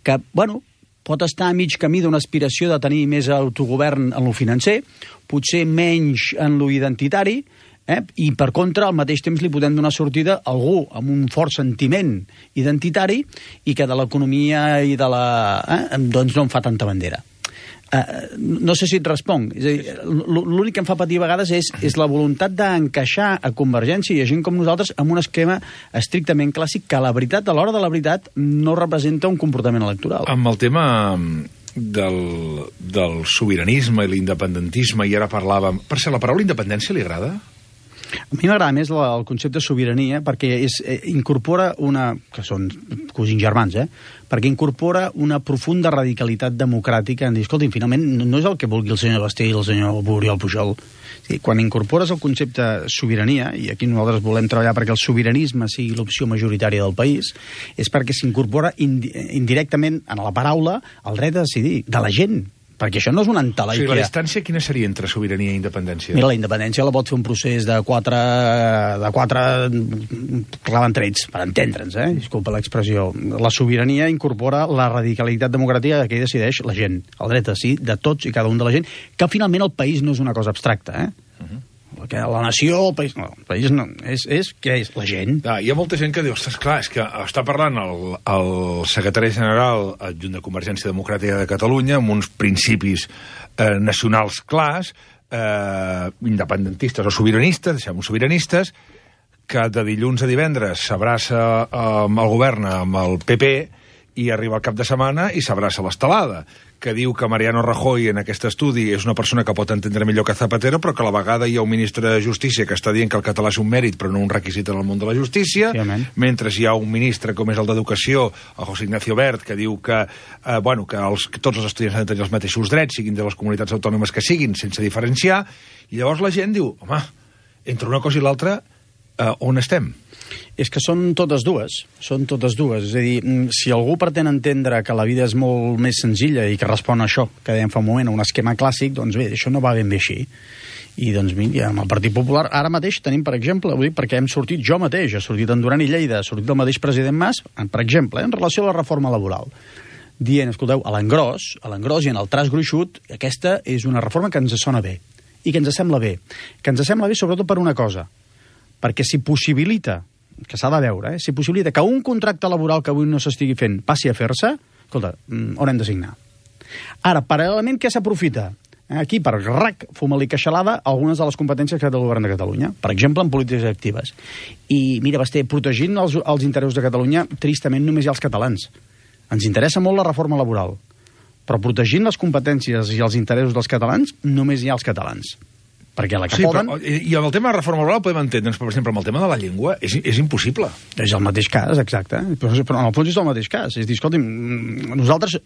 que, bueno, pot estar a mig camí d'una aspiració de tenir més autogovern en lo financer, potser menys en lo identitari, Eh? I per contra al mateix temps li podem donar sortida a algú amb un fort sentiment identitari i que de l'economia i de la... Eh? doncs no en fa tanta bandera. Uh, no sé si et responc. És a dir, l'únic que em fa patir a vegades és, és la voluntat d'encaixar a Convergència i a gent com nosaltres amb un esquema estrictament clàssic que a la veritat, a l'hora de la veritat, no representa un comportament electoral. Amb el tema del, del sobiranisme i l'independentisme, i ara parlàvem... Per ser la paraula independència li agrada? A mi m'agrada més la, el concepte de sobirania perquè és, eh, incorpora una... que són cosins germans, eh? Perquè incorpora una profunda radicalitat democràtica en dir, escolta, finalment no és el que vulgui el senyor Basté i el senyor Oriol Pujol. Sí, quan incorpores el concepte sobirania, i aquí nosaltres volem treballar perquè el sobiranisme sigui l'opció majoritària del país, és perquè s'incorpora indi indirectament en la paraula el dret a decidir de la gent. Perquè això no és una entelèquia. O sigui, la distància quina seria entre sobirania i independència? Mira, la independència la pot fer un procés de quatre... de quatre claventrets, per entendre'ns, eh? Disculpa l'expressió. La sobirania incorpora la radicalitat democràtica que hi decideix la gent. El dret a sí de tots i cada un de la gent, que finalment el país no és una cosa abstracta, eh? Uh-huh. Que la nació, el país... No, el país no, és, és què és? La gent. Ah, hi ha molta gent que diu, ostres, clar, és que està parlant el, el secretari general adjunt de Convergència Democràtica de Catalunya amb uns principis eh, nacionals clars, eh, independentistes o sobiranistes, deixem-ho sobiranistes, que de dilluns a divendres s'abraça eh, amb el govern amb el P P i arriba el cap de setmana i s'abraça l'estelada, que diu que Mariano Rajoy en aquest estudi és una persona que pot entendre millor que Zapatero, però que a la vegada hi ha un ministre de Justícia que està dient que el català és un mèrit però no un requisit en el món de la justícia, sí, mentre hi ha un ministre com és el d'Educació, el José Ignacio Wert, que diu que, eh, bueno, que, els, que tots els estudiants han de tenir els mateixos drets, siguin de les comunitats autònomes que siguin, sense diferenciar, i llavors la gent diu, home, entre una cosa i l'altra, eh, on estem? És que són totes dues, són totes dues. És a dir, si algú pretén entendre que la vida és molt més senzilla i que respon a això, que dèiem fa un moment, a un esquema clàssic, doncs bé, això no va ben bé així. I doncs mira, amb el Partit Popular ara mateix tenim, per exemple, vull dir, perquè hem sortit jo mateix, ha sortit en Duran i Lleida, ha sortit el mateix president Mas, per exemple, en relació a la reforma laboral, dient, escolteu, a l'engròs, a l'engròs i en el traç gruixut, aquesta és una reforma que ens sona bé i que ens sembla bé. Que ens sembla bé sobretot per una cosa, perquè si possibilita, que s'ha de veure, eh? si possibilita que un contracte laboral que avui no s'estigui fent passi a fer-se, escolta, on hem de signar? Ara, paral·lelament, què s'aprofita? Aquí, per rac, fuma-li queixalada algunes de les competències que té el govern de Catalunya, per exemple, en polítiques actives. I, mira, Basté, protegint els, els interessos de Catalunya, tristament només hi ha els catalans. Ens interessa molt la reforma laboral, però protegint les competències i els interessos dels catalans, només hi ha els catalans. Perquè la que sí, poden... Però, i amb el tema de reforma laboral podem entendre'ns, per exemple, amb el tema de la llengua, és, és impossible. És el mateix cas, exacte. Però, però en el fons és el mateix cas. És dir, escolti'm, nosaltres,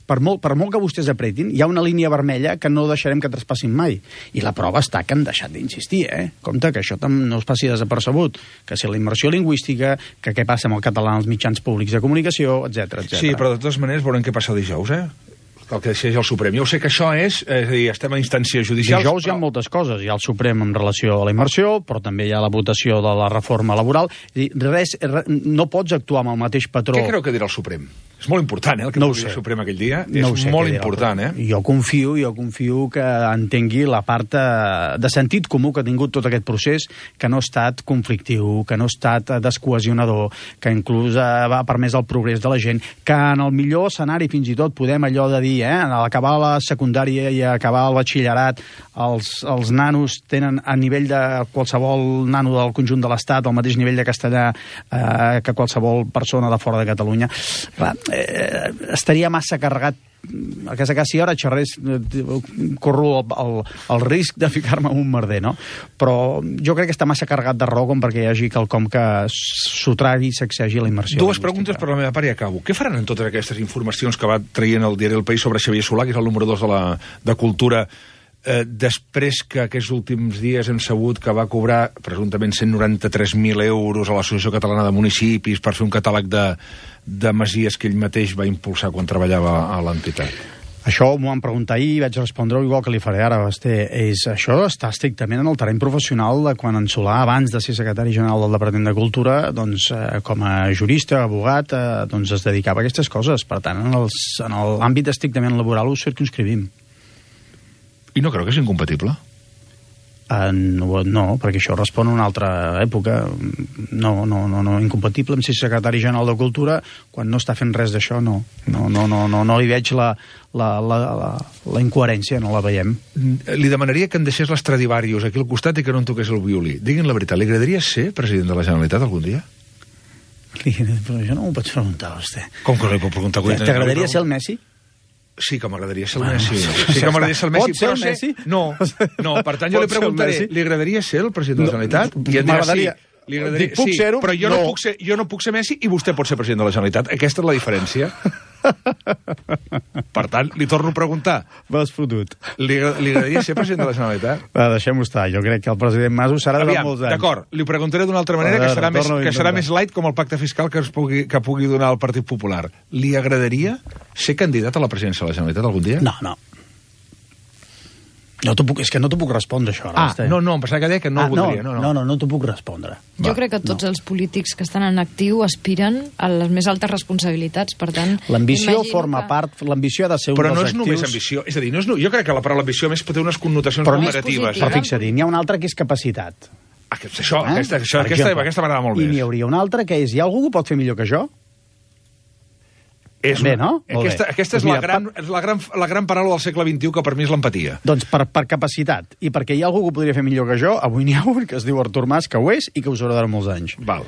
per molt, per molt que vostès apretin, hi ha una línia vermella que no deixarem que traspassin mai. I la prova està que han deixat d'insistir, eh? Compte, que això no es passi desapercebut. Que si la immersió lingüística, que què passa amb el català als mitjans públics de comunicació, etcètera, etcètera. Sí, però de totes maneres veurem què passa el dijous, eh? El que decideix el Suprem. Jo sé que això és, és a dir, estem a instàncies judicials... Dijous però... hi ha moltes coses. Hi ha el Suprem en relació a la immersió, però també hi ha la votació de la reforma laboral. És a dir, res, res, no pots actuar amb el mateix patró... Què creu que dirà el Suprem? És molt important, eh, el que no pugui dir el Suprem aquell dia. No és sé molt important, eh? Jo confio, jo confio que entengui la part de sentit comú que ha tingut tot aquest procés, que no ha estat conflictiu, que no ha estat descohesionador, que inclús ha permès el progrés de la gent, que en el millor escenari fins i tot podem allò de dir, eh, en acabar la secundària i acabar el batxillerat, els, els nanos tenen a nivell de qualsevol nano del conjunt de l'Estat el mateix nivell de castellà eh, que qualsevol persona de fora de Catalunya. Clar, eh, estaria massa carregat a casa que si ara xerrés corro el, el, el risc de ficar-me en un merder, no? Però jo crec que està massa carregat de raó com perquè hi hagi quelcom que sotragui i sacsegi la immersió. Dues preguntes per la meva part i acabo. Què faran en totes aquestes informacions que va traient el diari El País sobre Xavier Solà, que és el número dos de la de Cultura, eh, després que aquests últims dies hem sabut que va cobrar presumptament cent noranta-tres mil euros a l'Associació Catalana de Municipis per fer un catàleg de, de masies que ell mateix va impulsar quan treballava a l'entitat? Això m'ho van preguntar ahir i vaig respondre igual que li faré ara, Basté. És, això està estrictament en el terreny professional de quan en Solà, abans de ser secretari general del Departament de Cultura, doncs, eh, com a jurista, abogat, eh, doncs es dedicava a aquestes coses. Per tant, en, els, en l'àmbit estrictament laboral ho circumscrivim. I no creu que és incompatible? Uh, no, no, perquè això respon a una altra època. No, no, no, no, incompatible amb ser secretari general de Cultura quan no està fent res d'això, no. No, no, no, no, no li veig la, la, la, la, la incoherència, no la veiem. Li demanaria que em deixés l'Stradivarius aquí al costat i que no en toqués el violí. Diguin la veritat, li agradaria ser president de la Generalitat algun dia? Però jo no m'ho pots preguntar, vostè. Com que no li puc preguntar? T'agradaria ser el Messi? Sí que m'agradaria ser el Messi. Sí que m'agradaria ser el Messi. Pot ser el Messi? No, no, per tant jo li preguntaré, li agradaria ser el president de la Generalitat? I em dirà sí. Li agradaria, puc sí, ser-ho? però jo no. No puc ser, jo no puc ser Messi i vostè pot ser president de la Generalitat. Aquesta és la diferència. Per tant, li torno a preguntar. M'has fotut. Li, li agradaria ser president de la Generalitat? Va, deixem-ho estar. Jo crec que el president Mas ho serà durant molts anys. D'acord, li preguntaré d'una altra manera, que serà, més, que serà més light com el pacte fiscal que, es pugui, que pugui donar el Partit Popular. Li agradaria ser candidat a la presidència de la Generalitat algun dia? No, no. No puc, és que no t'ho puc respondre, això. Ah, no, no, em pensava que deia que no ah, ho voldria. No, no, no, no, no t'ho puc respondre. Jo Va, crec que tots no. els polítics que estan en actiu aspiren a les més altes responsabilitats, per tant... L'ambició forma que... part, l'ambició ha de ser un Però dels no és actius... només ambició, és a dir, no és, jo crec que la paraula ambició més pot tenir unes connotacions però molt negatives. Però fixa't, n'hi ha una altra que és capacitat. Ah, això, eh? aquesta, això, aquesta, aquesta m'agrada molt I més. n'hi hauria una altra que és, hi ha algú que pot fer millor que jo? És bé, no? Aquesta, aquesta és, doncs la, gran, és la, gran, la gran paraula del segle vint-i-u que per mi és l'empatia. Doncs per, per capacitat, i perquè hi ha algú que ho podria fer millor que jo, avui n'hi ha un que es diu Artur Mas, que ho és i que us haurà de molts anys. Val.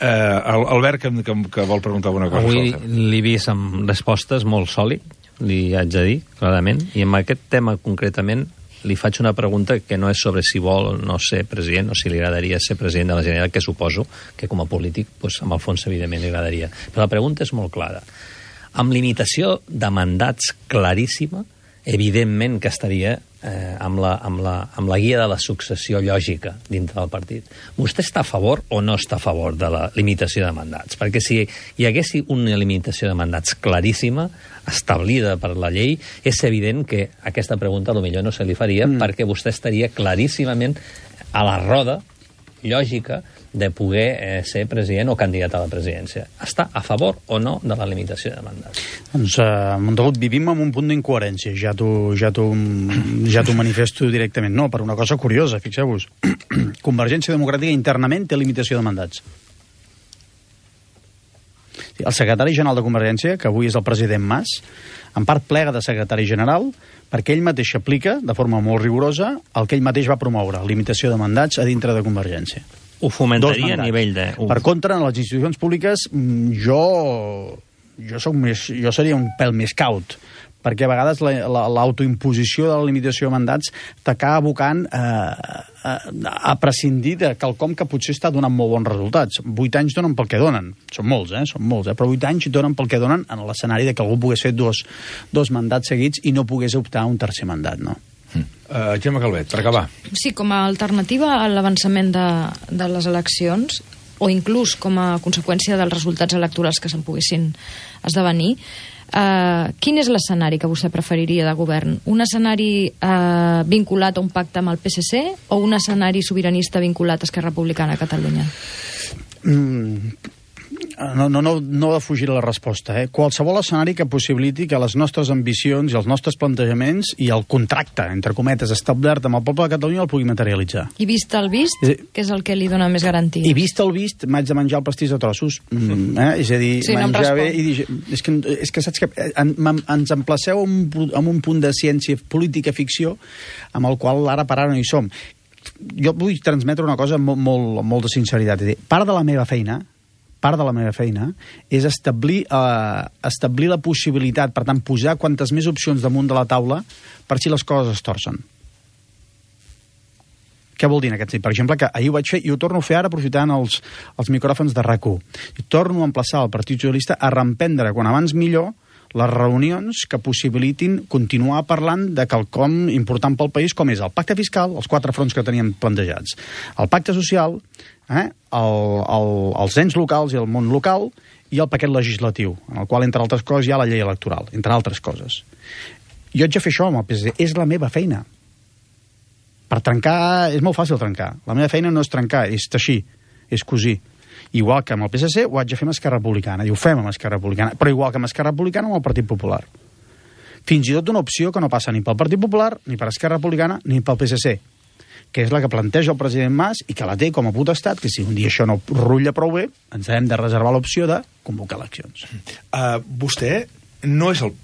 Uh, Albert, que, que, que vol preguntar alguna cosa. Avui l'he vist amb respostes molt sòlid, li haig de dir, clarament, i en aquest tema concretament li faig una pregunta que no és sobre si vol o no ser president o si li agradaria ser president de la Generalitat, que suposo que com a polític, doncs, amb el fons, evidentment, li agradaria. Però la pregunta és molt clara. Amb limitació de mandats claríssima, evidentment que estaria eh, amb, la, amb, la, amb la guia de la successió lògica dintre del partit. Vostè està a favor o no està a favor de la limitació de mandats? Perquè si hi hagués una limitació de mandats claríssima, establida per la llei, és evident que aquesta pregunta potser no se li faria mm. perquè vostè estaria claríssimament a la roda lògica de poder eh, ser president o candidat a la presidència. Està a favor o no de la limitació de mandats? Doncs, uh, Montagut, vivim en un punt d'incoherència. Ja t'ho ja ja manifesto directament. No, per una cosa curiosa, fixeu-vos. Convergència Democràtica internament té limitació de mandats. El secretari general de Convergència, que avui és el president Mas, en part plega de secretari general perquè ell mateix aplica, de forma molt rigorosa, el que ell mateix va promoure, limitació de mandats a dintre de Convergència. Ho fomentaria a nivell de... Uf. Per contra, en les institucions públiques, jo, jo, soc més, jo seria un pèl més caut, perquè a vegades l'autoimposició la, la, de la limitació de mandats t'acaba abocant a, a, a prescindir de quelcom que potser està donant molt bons resultats. Vuit anys donen pel que donen. Són molts, eh? Són molts, eh? Però vuit anys donen pel que donen en l'escenari de que algú pogués fer dos, dos mandats seguits i no pogués optar a un tercer mandat, no? Mm. Uh, Gemma Calvet, per acabar. Sí, com a alternativa a l'avançament de, de les eleccions, o inclús com a conseqüència dels resultats electorals que se'n poguessin esdevenir, uh, quin és l'escenari que vostè preferiria de govern? Un escenari uh, vinculat a un pacte amb el P S C o un escenari sobiranista vinculat a Esquerra Republicana a Catalunya? Mm. no, no, no, no defugir la resposta. Eh? Qualsevol escenari que possibiliti que les nostres ambicions i els nostres plantejaments i el contracte, entre cometes, establert amb el poble de Catalunya el pugui materialitzar. I vist el vist, sí. Que és el que li dona més garanties. I vist el vist, m'haig de menjar el pastís de trossos. Mm, eh? És a dir, sí, menjar no bé i dir... És que, és que saps que en, en, ens emplaceu en, en un punt de ciència política ficció amb el qual ara per ara no hi som. Jo vull transmetre una cosa molt, molt, molt de sinceritat. És dir, part de la meva feina part de la meva feina és establir, eh, establir la possibilitat, per tant, posar quantes més opcions damunt de la taula per si les coses es torcen. Què vol dir en aquest sentit? Per exemple, que ahir ho vaig fer i ho torno a fer ara aprofitant els, els micròfons de RAC u. I torno a emplaçar el Partit Socialista a reemprendre, quan abans millor, les reunions que possibilitin continuar parlant de quelcom important pel país, com és el pacte fiscal, els quatre fronts que teníem plantejats, el pacte social, eh, el, el, els ens locals i el món local, i el paquet legislatiu, en el qual, entre altres coses, hi ha la llei electoral, entre altres coses. Jo haig de fer això amb el P S C, és la meva feina. Per trencar, és molt fàcil trencar. La meva feina no és trencar, és teixir, és cosir. Igual que amb el P S C ho haig de fer amb Esquerra Republicana, i ho fem amb Esquerra Republicana, però igual que amb Esquerra Republicana amb el Partit Popular. Fins i tot una opció que no passa ni pel Partit Popular, ni per Esquerra Republicana, ni pel P S C, que és la que planteja el president Mas i que la té com a potestat, que si un dia això no rutlla prou bé, ens hem de reservar l'opció de convocar eleccions. Uh, vostè no és, el,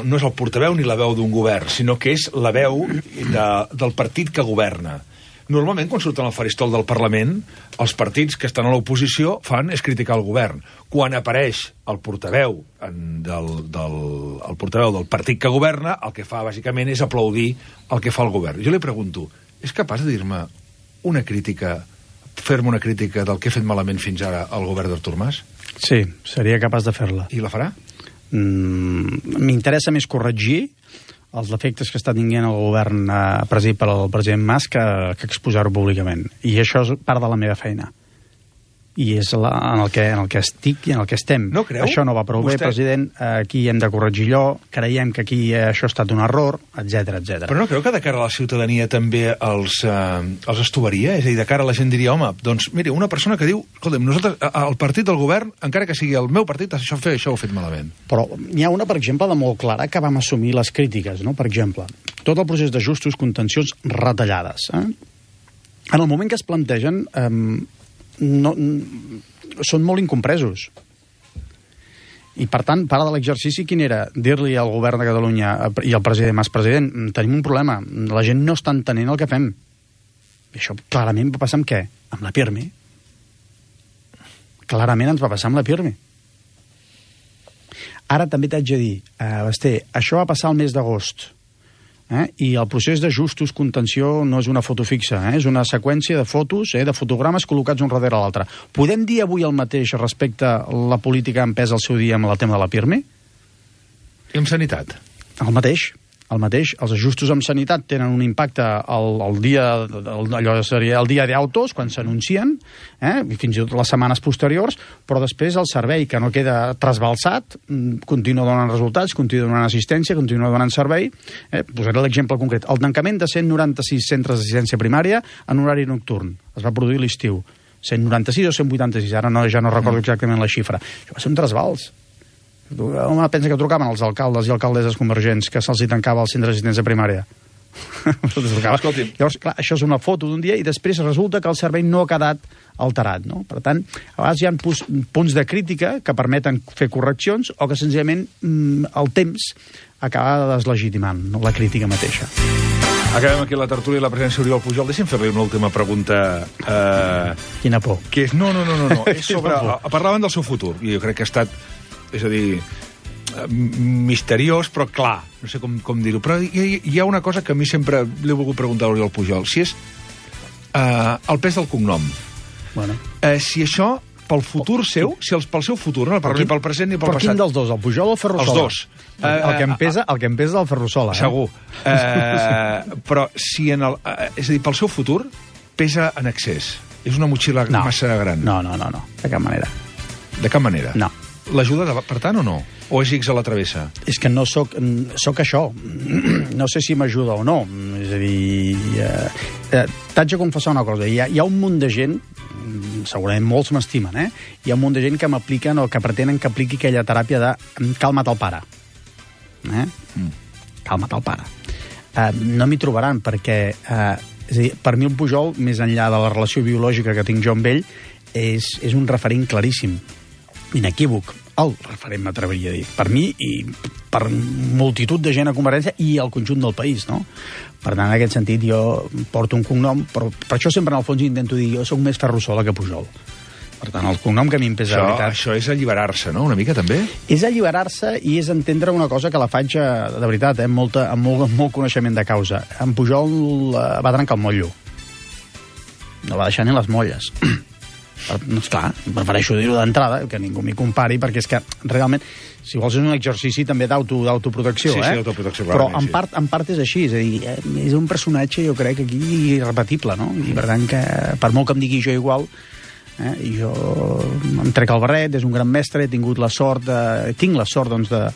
no és el portaveu ni la veu d'un govern, sinó que és la veu de, del partit que governa. Normalment, quan surten al faristol del Parlament, els partits que estan a l'oposició fan és criticar el govern. Quan apareix el portaveu en, del, del, el portaveu del partit que governa, el que fa, bàsicament, és aplaudir el que fa el govern. Jo li pregunto, és capaç de dir-me una crítica, fer-me una crítica del que ha fet malament fins ara el govern d'Artur Mas? Sí, seria capaç de fer-la. I la farà? Mm, m'interessa més corregir els defectes que està tinguent el govern eh, presidit per el president Mas que, que exposar-ho públicament. I això és part de la meva feina. I és la, en, el que, en el que estic i en el que estem. No creu? Això no va prou Vostè... bé, president. Aquí hem de corregir allò. Creiem que aquí eh, això ha estat un error, etcètera, etcètera. Però no creu que de cara a la ciutadania també els, eh, els estovaria? És a dir, de cara a la gent diria, home, doncs, mira, una persona que diu, escolta'm, nosaltres, el partit del govern, encara que sigui el meu partit, això, això ho ha fet malament. Però n'hi ha una, per exemple, de molt clara que vam assumir les crítiques, no? Per exemple, tot el procés d'ajustos, contencions, retallades. Eh? En el moment que es plantegen... Eh, no, són molt incompresos. I, per tant, part de l'exercici quin era? Dir-li al govern de Catalunya i al president Mas, president, tenim un problema, la gent no està entenent el que fem. I això clarament va passar amb què? Amb la PIRMI. Clarament ens va passar amb la PIRMI. Ara també t'haig de dir, eh, Basté, això va passar el mes d'agost. Eh? I el procés d'ajustos, contenció, no és una foto fixa, eh? És una seqüència de fotos, eh? de fotogrames col·locats un darrere l'altre. Podem dir avui el mateix respecte a la política empesa al seu dia amb el tema de la PIRMI? I amb sanitat? El mateix. El mateix. Els ajustos amb sanitat tenen un impacte al, al dia, el, allò seria el dia d'autos, quan s'anuncien, eh? I fins i tot les setmanes posteriors, però després el servei, que no queda trasbalsat, continua donant resultats, continua donant assistència, continua donant servei. Eh? Posaré l'exemple concret. El tancament de cent noranta-sis centres d'assistència primària en horari nocturn. Es va produir l'estiu. cent noranta-sis o cent vuitanta-sis, ara no, ja no recordo exactament la xifra. Això va ser un trasbals. Home, pensa que trucaven els alcaldes i alcaldesses convergents que se'ls hi tancava el centre d'assistència primària. Llavors, clar, això és una foto d'un dia i després resulta que el servei no ha quedat alterat, no? Per tant, a vegades hi ha punts de crítica que permeten fer correccions o que senzillament el temps acaba deslegitimant, no? La crítica mateixa. Acabem aquí la tertúlia i la presència d'Oriol Pujol. Deixa'm fer-li una última pregunta. Eh, Quina por. Que és, no, no, no, no, no. És sobre, parlaven del seu futur i jo crec que ha estat, és a dir, misteriós, però clar, no sé com, com dir-ho, però hi, hi ha una cosa que a mi sempre li he volgut preguntar a l'Oriol Pujol, si és uh, el pes del cognom. Bueno. Uh, si això, pel futur seu, si els, pel seu futur, no pel, ni pel present ni pel però passat. Però quin dels dos, el Pujol o el Ferrusola? Els dos. Uh, el, que em pesa, el que em pesa és el Ferrusola. Eh? Segur. Uh, però si en el... Uh, és a dir, pel seu futur pesa en excés. És una motxilla no. massa gran. No, no, no, no, de cap manera. De cap manera? No. L'ajuda, per tant, o no? O és X a la travessa? És que no soc, soc això. No sé si m'ajuda o no. És a dir, eh, eh, t'haig de confessar una cosa. Hi ha, hi ha un munt de gent, segurament molts m'estimen, eh? Hi ha un munt de gent que m'apliquen o que pretenen que apliqui aquella teràpia de calma't el pare. Eh? Mm. Calma't el pare. Uh, no m'hi trobaran, perquè uh, és a dir, per mi el Pujol, més enllà de la relació biològica que tinc jo amb ell, és, és un referent claríssim, inequívoc, el referent, m'atreviria a dir, per mi i per multitud de gent a Convergència i al conjunt del país, no? Per tant, en aquest sentit, jo porto un cognom, però per això sempre en el fons intento dir, jo soc més Ferrusola que Pujol. Per tant, el cognom que a mi em pesa, això, la veritat... Això és alliberar-se, no?, una mica, també? És alliberar-se i és entendre una cosa que la faig, de veritat, eh, amb, molta, amb, molt, amb molt coneixement de causa. En Pujol eh, va trencar el motllo. No va deixar ni les molles. No, esclar, prefereixo dir-ho d'entrada, que ningú m'hi compari, perquè és que realment, si vols, és un exercici també d'autoprotecció, sí, eh? Sí, autoprotecció, però en sí. part, en part és així, és a dir, és un personatge, jo crec, aquí irrepetible, no? I per tant que, per molt que em digui jo igual, eh, i jo em trec el barret, és un gran mestre, he tingut la sort, de, tinc la sort, doncs, de,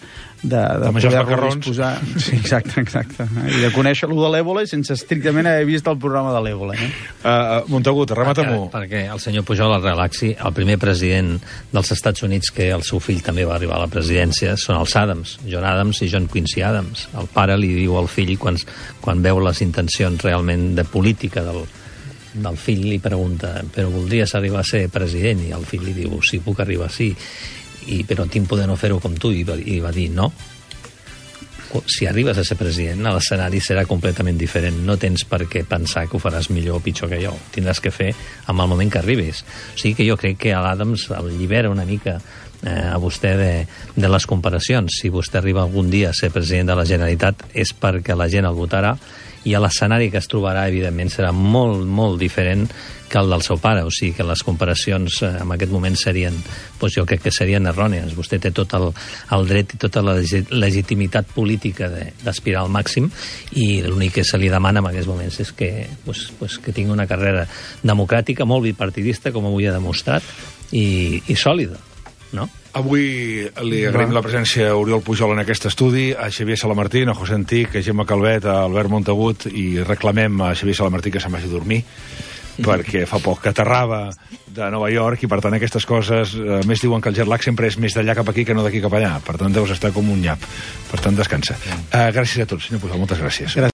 de, de, de poder-lo disposar... Sí, exacte, exacte. I de conèixer-lo de l'Ébola sense estrictament haver vist el programa de l'Ébola. Eh? Uh, Montagut, remata-m'ho. Perquè, perquè el senyor Pujol es relaxi, el primer president dels Estats Units que el seu fill també va arribar a la presidència són els Adams, John Adams i John Quincy Adams. El pare li diu al fill, quan, quan veu les intencions realment de política del, del fill, li pregunta, però voldries arribar a ser president? I el fill li diu, sí, puc arribar, sí. I, però tinc poder no fer-ho com tu, i va, i va dir no. Si arribes a ser president, l'escenari serà completament diferent. No tens per què pensar que ho faràs millor o pitjor que jo. Tindràs que fer amb el moment que arribis. O sigui que jo crec que a l'Adams el llibera una mica eh, a vostè de, de les comparacions. Si vostè arriba algun dia a ser president de la Generalitat és perquè la gent el votarà, i l'escenari que es trobarà, evidentment, serà molt, molt diferent que el del seu pare. O sigui que les comparacions eh, en aquest moment serien, doncs jo crec que serien errònies. Vostè té tot el, el dret i tota la legitimitat política d'aspirar al màxim, i l'únic que se li demana en aquests moments és que, doncs, doncs, que tingui una carrera democràtica, molt bipartidista, com avui ha demostrat, i, i sòlida, no? Avui li agraïm la presència a Oriol Pujol en aquest estudi, a Xavier Salamartín, a José Antic, a Gemma Calvet, a Albert Montagut, i reclamem a Xavier Salamartín que se'n vagi a dormir, perquè fa poc que aterrava de Nova York, i per tant aquestes coses, a més diuen que el jet lag sempre és més d'allà cap aquí que no d'aquí cap allà, per tant deus estar com un nyap, per tant descansa. Uh, gràcies a tots, senyor Pujol, moltes gràcies. Gràcies.